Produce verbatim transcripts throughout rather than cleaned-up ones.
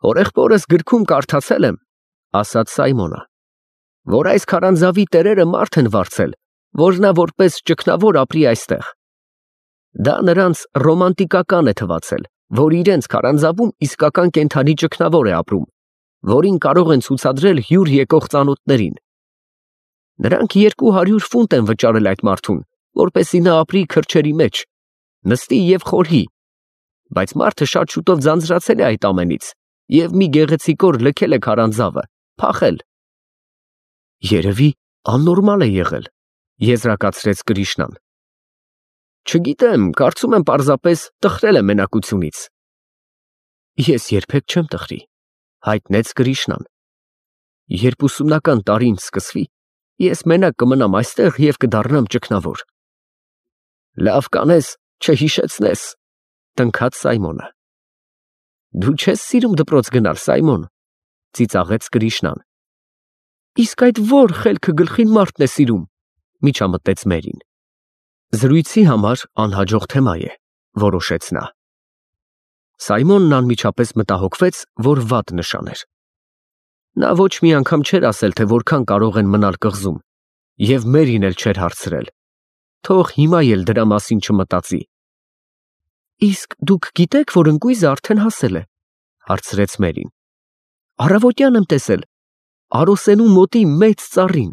Հորեղբորս գրքում կարդացել եմ, ասաց Սայմոնը, որ այս քարանձավի տերերը մարդ են վարձել, որ նա որպես ճգնավոր ապրի այստեղ։ Դա նրանց ռոմանտիկական է թվացել, որ իրենց քարանձավում իսկական կենդանի ճգնավոր է ապրում, որին կարող են ցուցադրել հյուր եկող ծանոթներին։ Նրանք երկու հարյուր ֆունտ են վճարել այդ մարդուն, որպեսզի նա ապրի քրջերի մեջ, նստի և խորհի, բայց մարդը շատ շուտով ձանձրացել է այդ ամենից և մի գեղեցիկ օր լքել է քարանձավը, փախել։ Երևի աննորմալ է եղել, եզրակացրեց Կրիշնան։ Չգիտեմ, կարծում եմ պարզապես տխրել է մենակությունից։ Ես երբեք չեմ տխրի, հայտնեց Կրիշնան։ Երբ ուսումնական տարին սկսվի, ես մենակ կմնամ այստեղ և կդառնամ ճգնավոր։ Լավ կանես, չհիշեցնես, տնքաց Սայմոնը։ Դու չես սիրում դպրոց գնալ, Սայմոն, ծիծաղեց Կրիշնան։ Իսկ այդ ո՞ր խելքը գլխին մարդն է սիրում, միջամտեց Մերին։ Զրույցի համար անհաջող թեմա է, որոշեց նա։ Սայմոնն անմիջապես մտահոգվեց, որ վատ նշան էր։ Նա ոչ մի անգամ չէր ասել, թե որքան կարող են մնալ կղզում, և Մերին էլ չէր հարցրել։ Թող հիմա էլ դրա մասին չմտածի։ Իսկ դուք գիտեք, որ ընկույզը արդեն հասել է, հարցրեց Մերին։ Առավոտյան եմ տեսել, Արոսենու մոտի մեծ ծառին։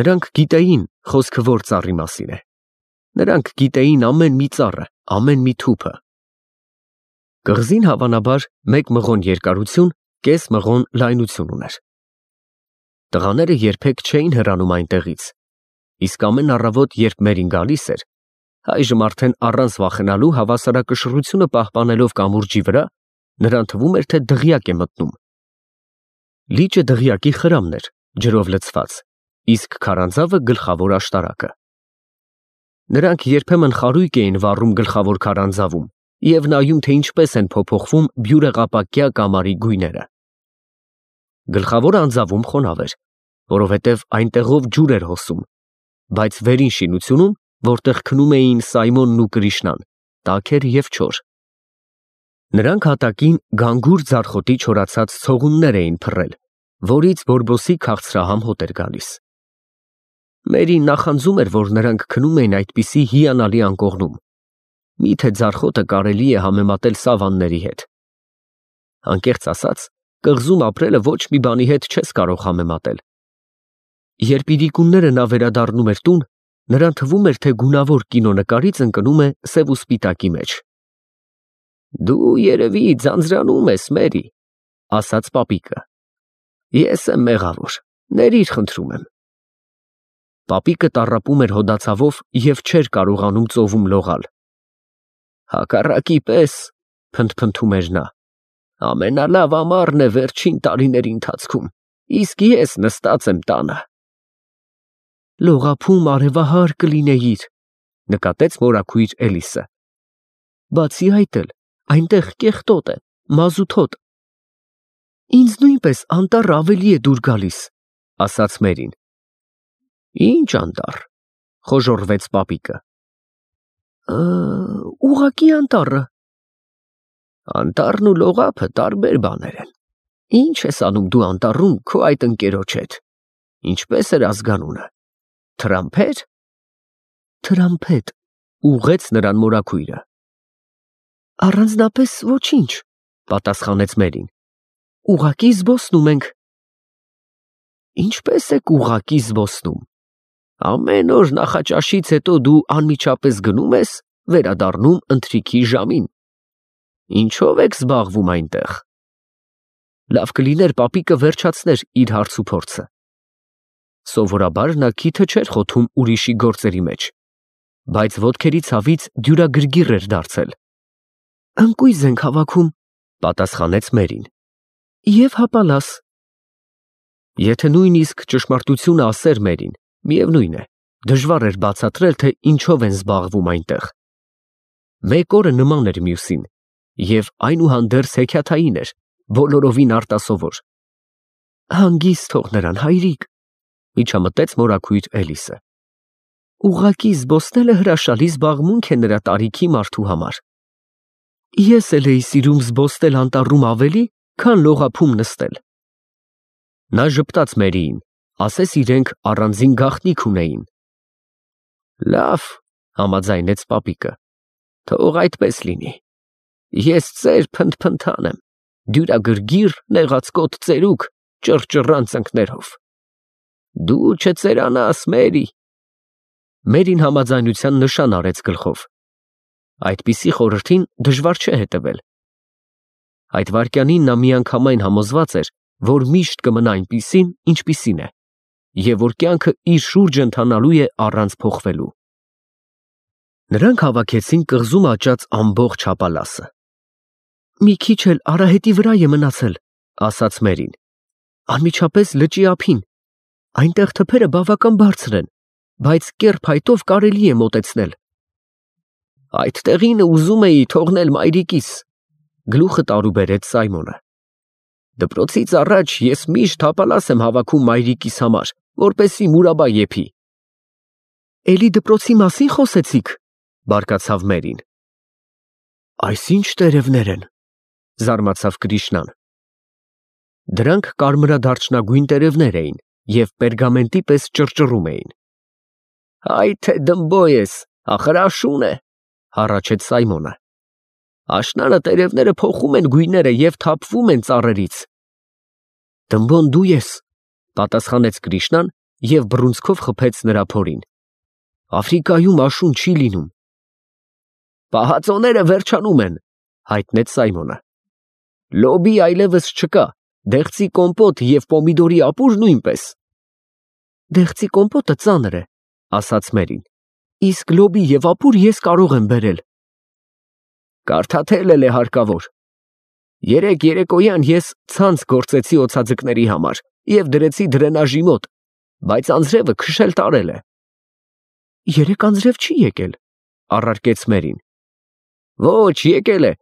Նրանք գիտեին խոսքը որ ծառի մասին է։ Նրանք գիտեին ամեն մի ծառը, ամեն մի թուփը։ Կղզին հավանաբար մեկ մղոն երկարություն, կես մղոն լայնություն ուներ։ Տղաները երբեք չէին հեռանում այնտեղից, իսկ ամեն առավոտ, երբ Մերին գալիս էր, այժմ արդեն առանց վախենալու հավասարակշռությունը պահպանելով կամուրջի վրա, նրան թվում էր, թե դղյակ է մտնում։ Լիճը դղյակի խրամն էր, ջրով լցված, իսկ քարանձավը գլխավոր աշտարակը։ Նրանք երբեմն խարույկ էին վառում գլխավոր քարանձավում և նայում, թե ինչպես են փոփոխվում բյուրեղապակյա կամարի գույները։ Գլխավոր անձավում խոնավ էր, որովհետև այնտեղով ջուր էր հոսում, բայց վերին շինությունում, որտեղ քնում էին Սայմոնն ու Կրիշնան, տաք էր և չոր։ Նրանք հատակին գանգուր ձարխոտի չորացած ցողուններ էին փռել, որից բորբոսի քաղցրահամ հոտ էր գալիս։ Մերին նախանձում էր, որ նրանք քնում էին այդպիսի հիանալի անկողնում։ Միթե ձարխոտը կարելի է համեմատել սավանների հետ։ Անկեղծ ասած, կղզում ապրելը ոչ մի բանի հետ չես կարող համեմատել։ Երբ իրիկունները նա վերադառնում էր տուն, նրան թվում էր, թե գունավոր կինոնկարից ընկնում է սև ու սպիտակի մեջ։ Դու երևի ձանձրանում ես, Մերի, ասաց պապիկը։ Ես եմ մեղավոր, ներիր խնդրում եմ։ Պապիկը տառապում էր հոդացավով և չէր կարողանում ծովում լողալ։ Հակառակի պես, փնթփնթում էր նա, ամենալավ ամառն է վերջին տարիների ընթացքում, իսկ ես նստած եմ տանը։ Լողափում արևահար կլինեիր, նկատեց մորաքույր Էլիսը։ Բացի այդ էլ, այնտեղ կեղտոտ է, մազութոտ։ Ինձ նույնպես անտառը ավելի է դուր գալիս, ասաց Մերին։ Ինչ անտառ, խոժոռվեց պապիկը։ Ուղղակի անտառը։ Անտառն ու լողափը տարբեր բաներ են։ Ինչ ես անում դու անտառում քո այդ ընկերոջ հետ։ Ինչպես էր ազգանունը։ Թրամփեր։ Թրամփետ, ուղղեց նրան մորաքույրը։ Առանձնապես ոչինչ, պատասխանեց Մերին։ Ուղղակի զբոսնում ենք։ Ինչպես եք ուղղակի զբոսնում։ Ամեն օր նախաճաշից հետո դու անմիջապես գնում ես, վերադառնում ընթրիքի ժամին։ Ինչով եք զբաղվում այնտեղ։ Լավ կլիներ պապիկը վերջացներ իր հարցուփորձը։ Սովորաբար նա քիթը չէր խոթում ուրիշի գործերի մեջ, բայց ոտքերի ցավից դյուրագրգիռ էր դարձել։ Ընկույզ ենք հավաքում, պատասխանեց Մերին։ Եվ հապալաս։ Եթե նույնիսկ ճշմարտությունը ասեր Մերին, միևնույն է, դժվար էր բացատրել, թե ինչով են զբաղվում այնտեղ։ Մեկ օրը նման էր մյուսին, և այնուհանդերձ հեքիաթային էր, բոլորովին արտասովոր։ Հանգիստ թող նրան, հայրիկ, միջամտեց մորաքույր Էլիսը։ Ուղղակի զբոսնելը հրաշալի զբաղմունք է նրա տարիքի մարդու համար։ Ես էլ էի սիրում զբոսնել անտառում ավելի, քան լողափում նստել։ Նա ժպտաց Մերիին, ասես իրենք առանձին գաղտնիք ունեին։ Լավ, համաձայնեց պապիկը, թող այդպես լինի։ Ես ծեր փնթփնթան եմ, դյուրագրգիռ, նեղացկոտ ծերուկ, ճռճռան ծնկներով։ Դու չծերանաս, Մերի։ Մերին համաձայնության նշան արեց գլխով։ Այդպիսի խորհրդին դժվար չէ հետևել։ Այդ վայրկյանին նա միանգամայն համոզված էր, որ միշտ կմնա այնպիսին, ինչպիսին է, և որ կյանքը իր շուրջը ընթանալու է առանց փոխվելու։ Նրանք հավաքեցին կղզում աճած ամբողջ հապալասը։ Մի քիչ էլ արահետի վրա է մնացել, ասաց Մերին, անմիջապես լճի ափին։ Այնտեղ թփերը բավական բարձր են, բայց կեռ փայտով կարելի է մոտեցնել։ Այդ տեղինը ուզում էի թողնել մայրիկիս, գլուխը տարուբերեց Սայմոնը։ Դպրոցից առաջ ես միշտ հապալաս եմ հավաքում մայրիկիս համար, որպեսզի մուրաբա եփի։ Էլի դպրոցի մասին խոսեցիք, բարկացավ Մերին։ Այս ինչ տերևներ են, զարմացավ Կրիշնան։ Դրանք կարմրադարչնագույն տերևներ էին և պերգամենտի պես ճռճռում էին։ Այ թե դմբո ես, ախր աշուն է, հառաչեց Սայմոնը։ Աշնանը տերևները փոխում են գույները և թափվում են ծառերից։ Դմբոն դու ես, պատասխանեց Կրիշնան և բռունցքով խփեց նրա փորին։ Աֆրիկայում աշուն չի լինում։ Պահածոները վերջանում են, հայտնեց Սայմոնը։ Լոբի այլևս չկա, դեղցի կոմպոտ և պոմիդորի ապուր նույնպես։ Դեղցի կոմպոտը ծանր է, ասաց Մերին, իսկ լոբի և ապուր ես կարող եմ բերել։ Կարդաթել էլ է հարկավոր։ Երեկ երեկոյան ես ցանց գործեցի օձաձկների համար և դրեցի դրենաժի մոտ, բայց անձրևը քշել տարել է։ Երեկ անձրև չի եկել, առարկեց Մերին։ Ոչ, եկել է,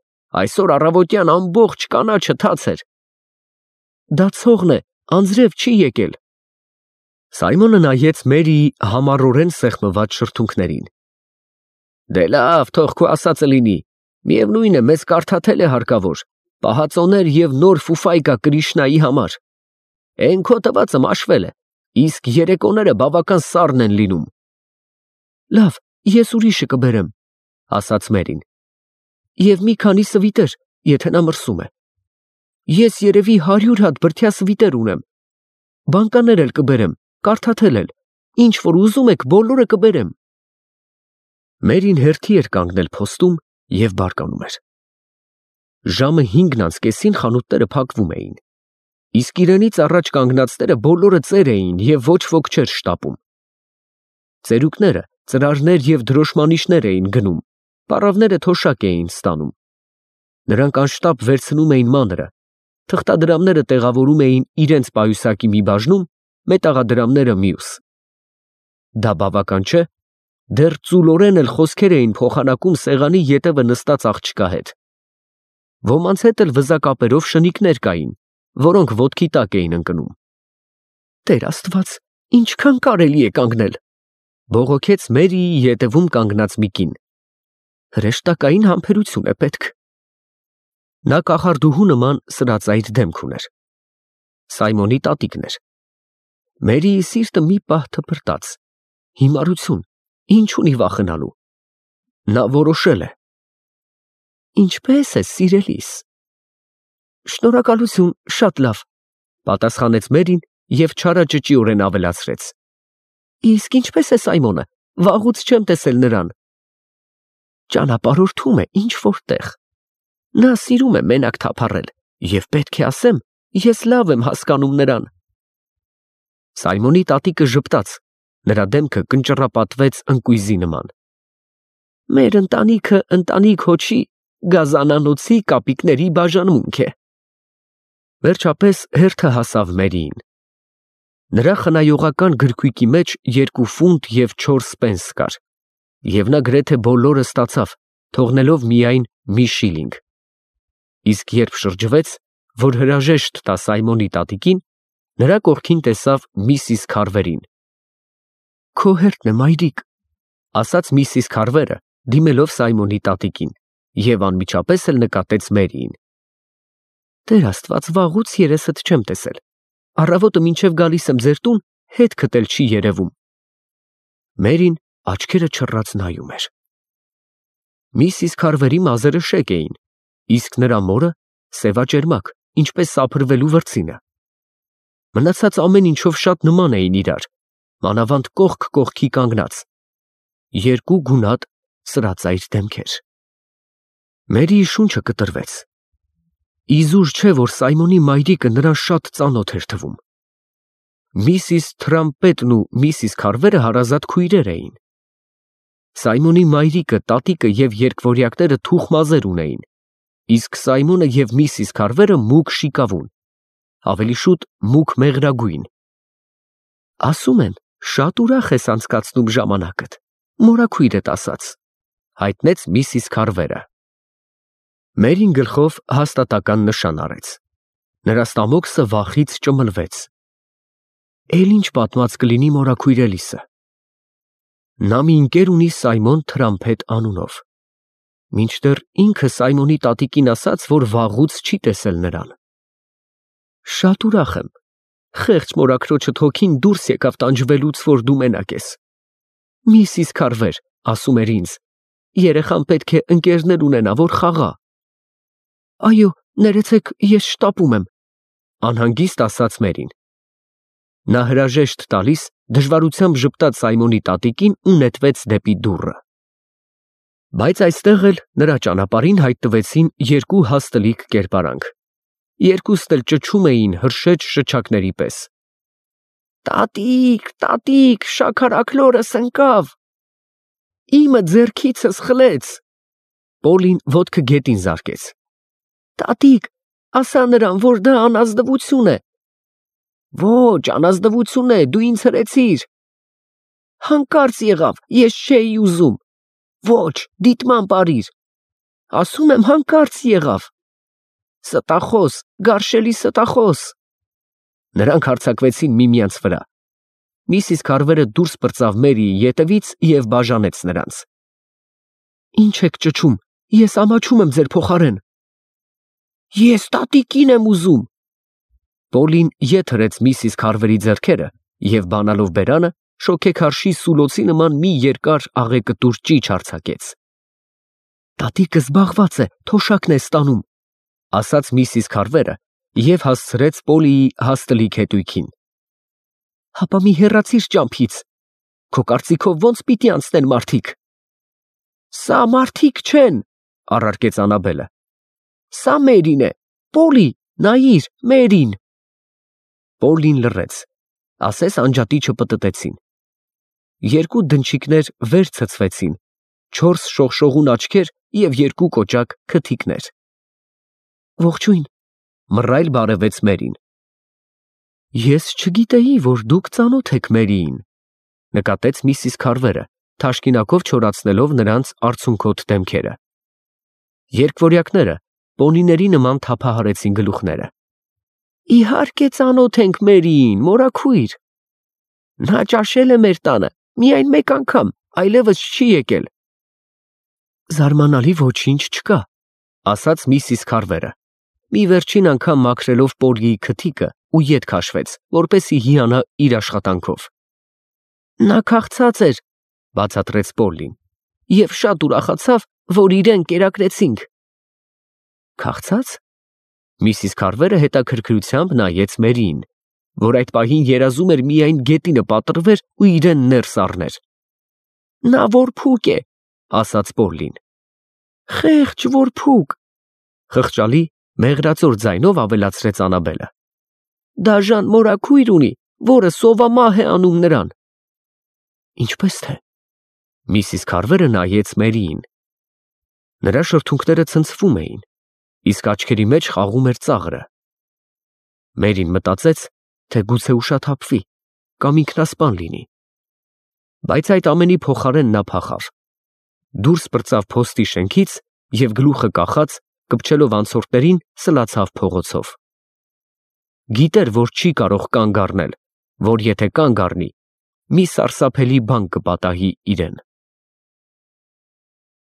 այսօր առավոտյան ամբողջ կանաչը թաց էր։ Դա ցողն է, անձրև չի եկել։ Սայմոնը նայեց Մերիի համառորեն սեղմված շրթունքներին։ Դե լավ, թող քո ասածը լինի, միևնույն է, մեզ կարդաթել է հարկավոր, պահածոներ և նոր ֆուֆայկա Կրիշնայի համար։ Էն քո տվածը մաշվել է, իսկ երեկոները բավական սառն են լինում։ Լավ, ես ուրիշը կբերեմ, ասաց Մերին։ Եվ մի քանի սվիտեր, եթե նա մրսում է։ Ես երևի հարյուր հատ բրդյա սվիտեր ունեմ։ Բանկաներ էլ կբերեմ, կարդաթել էլ, ինչ որ ուզում եք, բոլորը կբերեմ։ Մերին հերթի էր կանգնել փոստում և բարկանում էր։ Ժամը հինգն անց կեսին խանութները փակվում էին, իսկ իրենից առաջ կանգնածները բոլորը ծեր էին և ոչ ոք չէր շտապում։ Ծերուկները ծրարներ և դրոշմանիշներ էին գնում, պառավները թոշակ էին ստանում։ Նրանք անշտապ վերցնում էին մանրը, թղթադրամները տեղավորում էին իրենց պայուսակի մի բաժնում, մետաղադրամները մյուս։ Դա բավական չէ, դեռ ծուլորեն էլ խոսքեր էին փոխանակում սեղանի ետևը նստած աղջկա հետ։ Ոմանց հետ էլ վզակապերով շնիկներ կային, որոնք ոտքի տակ էին ընկնում։ Տեր Աստված, ինչքան կարելի է կանգնել, բողոքեց Մերիի ետևում կանգնած մի կին։ Հրեշտակային համբերություն է պետք։ Նա կախարդուհու նման սրածայր դեմք ուներ։ Սայմոնի տատիկն էր։ Մերիի սիրտը մի պահ թպրտաց։ Հիմարություն, ինչ ունի վախենալու։ Նա որոշել է։ Ինչպե՞ս ես, սիրելիս։ Շնորհակալություն, շատ լավ, պատասխանեց Մերին և չարաճճիորեն ավելացրեց։ Իսկ ինչպե՞ս է Սայմոնը, վաղուց չեմ տեսել նրան։ Ճանապարհորդում է ինչ որտեղ։ Նա սիրում է մենակ թափառել, և պետք է ասեմ, ես լավ եմ հասկանում նրան։ Սայմոնի տատիկը ժպտաց, նրա դեմքը կնճռապատվեց ընկույզի նման։ Մեր ընտանիքը ընտանիք հոչի, գազանանոցի կապիկների բաժանմունք է։ Վերջապես հերթը հասավ Մերիին։ Նրա խնայողական գրքույկի մեջ երկու ֆունտ և չորս պենս կար, և նա գրեթե բոլորը ստացավ, թողնելով միայն մի շիլինգ։ Իսկ երբ շրջվեց, որ հրաժեշտ տա Սայմոնի տատիկին, նրա կողքին տեսավ միսիս Քարվերին։ Քո հերթն է, մայրիկ, ասաց միսիս Քարվերը, դիմելով Սայմոնի տատիկին։ և անմիջապես էլ նկատեց Մերիին։ Տեր Աստված, վաղուց երեսդ չեմ տեսել, առավոտը մինչև գալիս եմ ձեր տուն, հետքդ էլ չի երևում։ Մերին աչքերը չռած նայում էր։ Միսիս Քարվերի մազերը շեկ էին, իսկ նրա մորը սևաճերմակ, ինչպես սափրվելու վրձինը։ Մնացած ամեն ինչով շատ նման էին իրար, մանավանդ կողք կողքի կանգնած, երկու գունատ սրածայր դեմքեր։ Մերիի շունչը կտրվեց։ Իզուր չէ, որ Սայմոնի մայրիկը նրան շատ ծանոթ էր թվում։ Միսիս Թրամպետն ու միսիս Քարվերը հարազատ քույրեր էին։ Սայմոնի մայրիկը, տատիկը և երկվորյակները թուխ մազեր ունեին, իսկ Սայմոնը և միսիս Քարվերը մուգ շիկավուն, ավելի շուտ մուգ մեղրագույն։ Ասում են, շատ ուրախ ես անցկացնում ժամանակդ, մորաքույրդ ասաց, հայտնեց միսիս Քարվերը։ Մերին գլխով հաստատական նշան արեց։ Նրա ստամոքսը վախից ճմլվեց։ Էլ ինչ պատմած կլինի մորաքույրելիսը։ Նա մի ընկեր ունի Սայմոն Թրամփետ անունով։ Մինչդեռ ինքը Սայմոնի տատիկին ասաց, որ վաղուց չի տեսել նրան։ Շատ ուրախ եմ։ Խեղճ մորաքրոջդ հոգին դուրս եկավ տանջվելուց, որ դու մենակ ես։ Միսիս Քարվեր, ասում էր ինձ, երեխան պետք է ընկերներ ունենա, որ խաղա։ Այո, ներեցեք, ես շտապում եմ, անհանգիստ ասաց Մերին։ Նա հրաժեշտ տալիս դժվարությամբ ժպտաց Սայմոնի տատիկին ու նետվեց դեպի դուռը։ Բայց այստեղ էլ նրա ճանապարհին հայտնվեցին երկու հաստլիկ կերպարանք։ Երկուստ էլ ճչում էին հրշեջ շչակների պես։ Տատիկ, տատիկ, շաքարաքլորս ընկավ։ Իմը ձեռքիցս խլեց։ Պոլին ոտքը գետին զարկեց։ Տատիկ, ասա նրան, որ դա անազնվություն է։ Ոչ, անազնվություն է, դու ինձ հրեցիր։ Հանկարծ եղավ, ես չէի ուզում։ Ոչ, դիտման պարիր։ Ասում եմ, հանկարծ եղավ։ Ստախոս, գարշելի ստախոս։ Նրանք հարձակվեցին միմյանց վրա։ Միսիս Քարվերը դուրս պրծավ Մերիի ետևից և բաժանեց նրանց։ Ինչ եք ճչում, ես ամաչում եմ ձեր փոխարեն։ Ես տատիկին եմ ուզում։ Պոլին ետ հրեց միսիս Քարվերի ձեռքերը և բանալով բերանը շոգեքարշի սուլոցի նման մի երկար աղեկտուր ճիչ արձակեց։ Տատիկը զբաղված է, թոշակն է ստանում, ասաց միսիս Քարվերը և հասցրեց Պոլիի հաստլիկ հետույքին։ Հապա մի հեռացիր ճամփից, քո կարծիքով ո՞նց պիտի անցնեն մարդիկ։ Սա մարդիկ չեն, առարկեց Անաբելը։ Սա Մերին է, Պոլի, նայիր, Մերին։ Պոլին լռեց, ասես անջատիչը պտտեցին։ Երկու դնչիկներ վեր ցցվեցին, չորս շողշողուն աչքեր և երկու կոճակ քթիկներ։ Ողջույն, մռայլ բարևեց Մերին։ Ես չգիտեի, որ դուք ծանոթ եք Մերիին, նկատեց միսիս Քարվերը, թաշկինակով չորացնելով նրանց արցունքոտ դեմքերը։ Երկվորյակները պոնիների նման թափահարեցին գլուխները։ Իհարկե ծանոթ ենք Մերիին, մորաքույր։ Նա ճաշել է մեր տանը, միայն մեկ անգամ, այլևս չի եկել։ Զարմանալի ոչինչ չկա, ասաց միսիս Քարվերը, մի վերջին անգամ մաքրելով Պոլիի քթիկը ու ետ քաշվեց, որպեսզի հիանա իր աշխատանքով։ Նա քաղցած էր, բացատրեց Պոլին, և շատ ուրախացավ, որ իրեն կերակրեցինք։ Քաղցած։ Միսիս Քարվերը հետաքրքրությամբ նայեց Մերիին, որ այդ պահին երազում էր միայն գետինը պատռվեր ու իրեն ներս առներ։ Նա որփուկ է, ասաց Պոլին։ Խեղճ որփուկ, խղճալի մեղրածոր ձայնով ավելացրեց Անաբելը։ Դաժան մորաքույր ունի, որը սովամահ է անում նրան։ Ինչպես թե։ Միսիս Քարվերը նայեց Մերիին։ Նրա շրթունքները ցնցվում էին, իսկ աչքերի մեջ խաղում էր ծաղրը։ Մերին մտածեց, թե գուցե ուշաթափվի կամ ինքնասպան լինի։ Բայց այդ ամենի փոխարեն նա փախավ։ Դուրս պրծավ փոստի շենքից և գլուխը կախած, կպչելով անցորդներին, սլացավ փողոցով։ Գիտեր, որ չի կարող կանգ առնել, որ եթե կանգ առնի, մի սարսափելի բան կպատահի իրեն։